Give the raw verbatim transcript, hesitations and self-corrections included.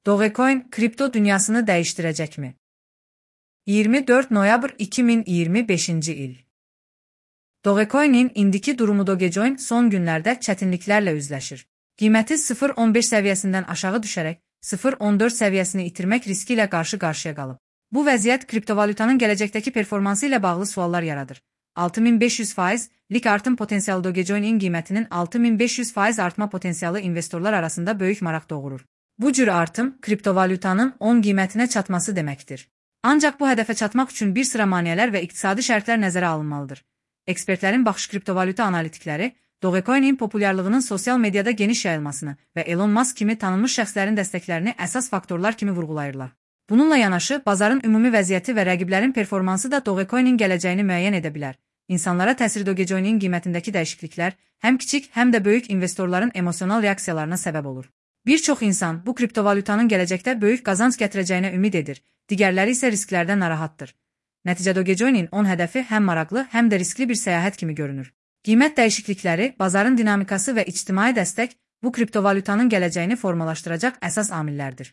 Dogecoin kripto dünyasını dəyişdirəcəkmi? iyirmi dörd noyabr iki min iyirmi beşinci il. Dogecoin'in indiki durumu Dogecoin son günlərdə çətinliklərlə üzləşir. Qiyməti sıfır nöqtə on beş səviyyəsindən aşağı düşərək sıfır nöqtə on dörd səviyyəsini itirmək riski ilə qarşı-qarşıya qalıb. Bu vəziyyət kriptovalyutanın gələcəkdəki performansı ilə bağlı suallar yaradır. altı min beş yüz faizlik artım potensialı Dogecoin'in qiymətinin altı min beş yüz faiz artma potensialı investorlar arasında böyük maraq doğurur. Bu cür artım kriptovalyutanın on qiymətinə çatması deməkdir. Ancaq bu hədəfə çatmaq üçün bir sıra maneələr və iqtisadi şərtlər nəzərə alınmalıdır. Ekspertlərin baxış kriptovalyuta analitikləri Dogecoin'in populyarlığının sosial mediada geniş yayılmasını və Elon Musk kimi tanınmış şəxslərin dəstəklərini əsas faktorlar kimi vurğulayırlar. Bununla yanaşı, bazarın ümumi vəziyyəti və rəqiblərin performansı da Dogecoin'in gələcəyini müəyyən edə bilər. İnsanlara təsir Dogecoin'in qiymətindəki dəyişikliklər həm kiçik, həm də böyük investorların emosional reaksiyalarına səbəb olur. Bir çox insan bu kriptovalyutanın gələcəkdə böyük qazanc gətirəcəyinə ümid edir, digərləri isə risklərdən narahatdır. Nəticədə Dogecoin'in on hədəfi həm maraqlı, həm də riskli bir səyahət kimi görünür. Qiymət dəyişiklikləri, bazarın dinamikası və ictimai dəstək bu kriptovalyutanın gələcəyini formalaşdıracaq əsas amillərdir.